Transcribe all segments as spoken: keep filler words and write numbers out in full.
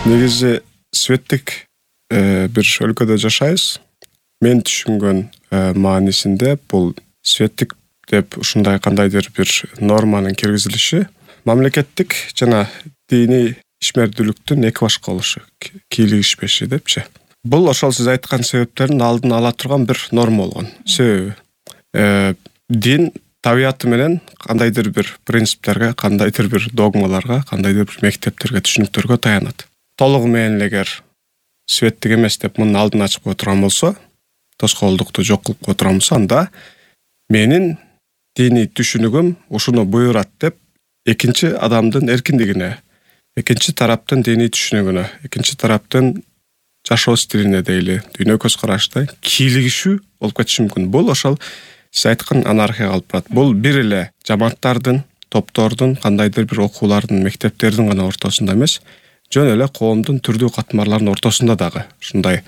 Негизи светтик бир өлкөдө жашайбыз. Мен түшүнгөн маанисинде бул светтик деп ушундай кандайдыр бир норманын киргизилиши мамлекеттик жана диний ишмердүүлүктүн эки башка болушу, кийлигишпеши депчи. Бул ошол сиз айткан себептердин алдын ала турган бир норма болгон. Себеби дин табияты менен кандайдыр бир принциптерге, кандайдыр бир догмаларга, кандайдыр бир мектептерге, түшүнүктөргө таянат. Толугу менен эгер светтик эмес деп мунун алдын ачып кое турган болсо, тоскоолдукту жок кылып кое турган болсо, анда менин диний түшүнүгүм ушуну буйрат деп экинчи адамдын эркиндигине, экинчи тараптын диний түшүнүгүнө, экинчи тараптын жашоо стилине дейли, дүйнө көз карашына кийлигишүү болуп кетиши мүмкүн. Бул ошол сиз айткан анархияга алып барат. Бул бир эле жамааттардын, топтордун, кандайдыр бир окуулардын, мектептердин гана ортосунда эмес, жөн эле коомдун түрдүү катмарларынын ортосунда дагы ушундай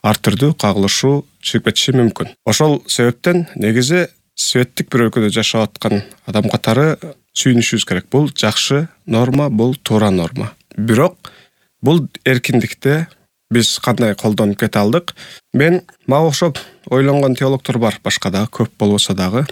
ар түрдүү кагылышуу чыгып кетиши мүмкүн. Ошол себептен негизи светтик бир өлкөдө жашап аткан адам катары сүйүнүшүбүз керек. Бул жакшы норма, бул туура норма. Бирок бул эркиндикте биз кандай колдонуп кете алдык? Мен мага окшоп ойлонгон теологдор бар, башка дагы көп болбосо дагы.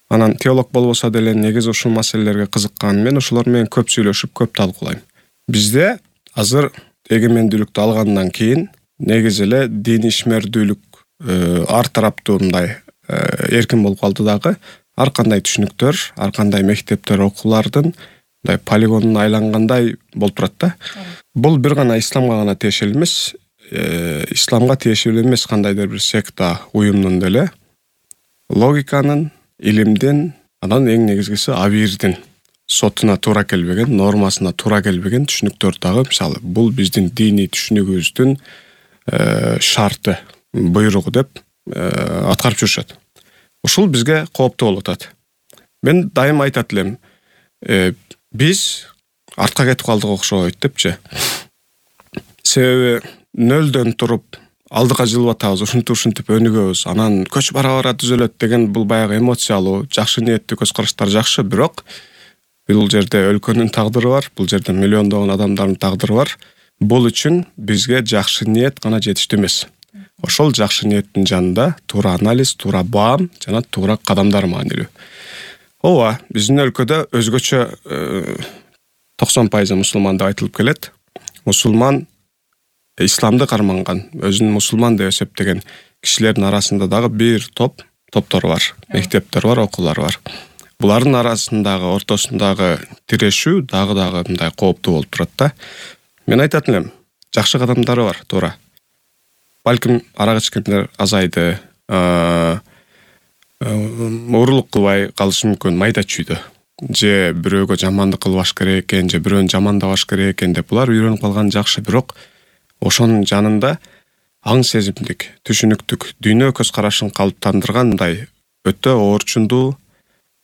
Анан теолог болбосо деле негизи ушул маселелерге кызыккан, мен ошолор менен көп сүйлөшүп, көп талкуулайм. Бизде азыр эгемендүүлүктү алгандан кийин негизи эле диний ишмердүүлүк ар тараптуу мындай эркин болуп калды дагы. Ар кандай түшүнүктөр, ар кандай мектептер, окуулардын мындай полигонун айлангандай болуп турат да. Бул бир гана исламга гана тиешелүү эмес, исламга тиешелүү эмес кандайдыр бир секта, уюмдун деле логиканын, илимдин, анан эң негизгиси абийирдин сотуна туура келбеген, нормасына туура келбеген түшүнүктөр дагы, мисалы, бул биздин диний түшүнүгүбүздүн шарты, буйругу деп аткарып жүрүшөт. Ушул бизге кооптуу болуп атат. Мен дайым айтат элем, биз артка кетип калдык окшойт депчи. Себеби нөлдөн туруп алдыга жылып атабыз, ушинтип ушинтип өнүгөбүз, анан көч бара бара түзөлөт деген бул баягы эмоциялуу, жакшы ниеттүү көз караштар жакшы, бирок бул жерде өлкөнүн тагдыры бар, бул жерде миллиондогон адамдардын тагдыры бар. Бул үчүн бизге жакшы ниет гана жетиштүү эмес. Ошол жакшы ниеттин жанында туура анализ, туура баам жана туура кадамдар маанилүү. Ооба, биздин өлкөдө өзгөчө токсон пайыз мусулман деп айтылып келет. Мусулман исламды карманган, өзүн мусулман деп эсептеген кишилердин арасында дагы бир топ топтор бар, мектептер бар, окуулар бар. Булардын арасындагы, ортосундагы тирешүү дагы дагы мындай кооптуу болуп турат да. Мен айтат элем, жакшы кадамдары бар, туура. Балким арак ичкендер азайды, уурулук кылбай калышы мүмкүн, майда чүйдө. Же бирөөгө жамандык кылбаш керек экен, же бирөөнү жамандабаш керек экен деп булар үйрөнүп калган жакшы, бирок ошонун жанында аң сезимдик, түшүнүктүк, дүйнө көз карашын калыптандырган мындай өтө орчундуу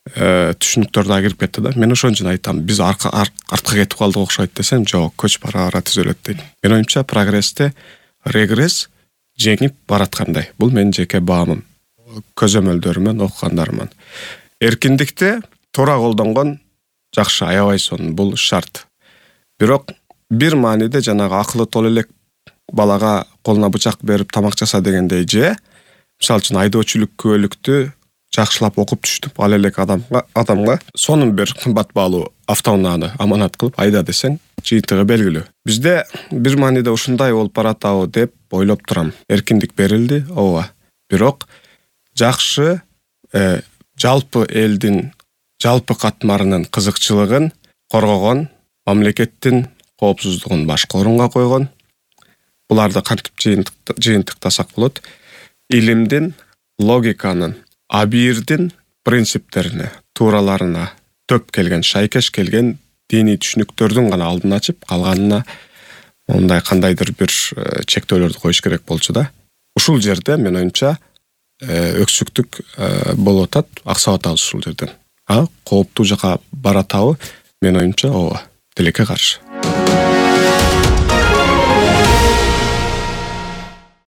түшүнүктөр да кирип кетти да. Мен ошон үчүн айтам, биз артка кетип калдык окшойт десем, жок, көч бара бара түзөлөт дейт. Мен оюмча прогрессте регресс жеңип бараткандай. Бул менин жеке баамым, көзөмөлдөрүмөн, окугандарыман. Эркиндикте туура колдонгон жакшы, аябай сонун, бул шарт. Бирок бир мааниде жанагы акылы тол элек балага колуна бычак берип тамак жаса дегендей, же мисалы үчүн айдоочулук күбөлүктү жакшылап окуп түшүнүп ал элек адамга адамга сонун бир кымбат баалуу автоунааны аманат кылып айда десең, жыйынтыгы белгилүү. Бизде бир мааниде ушундай болуп баратабы деп ойлоп турам. Эркиндик берилди, ооба. Бирок жакшы жалпы элдин жалпы катмарынын кызыкчылыгын коргогон, мамлекеттин коопсуздугун башкы орунга койгон, буларды кантип жыйынтыктасак болот? Илимдин, логиканын, абийирдин принциптерине, туураларына төп келген, шайкеш келген диний түшүнүктөрдүн гана алдын ачып, калганына мындай кандайдыр бир чектөөлөрдү коюш керек болчу да. Ушул жерде мен оюмча өксүктүк болуп атат, аксап атабыз ушул жерден. А кооптуу жака баратабы? Мен оюмча ооба, тилекке каршы.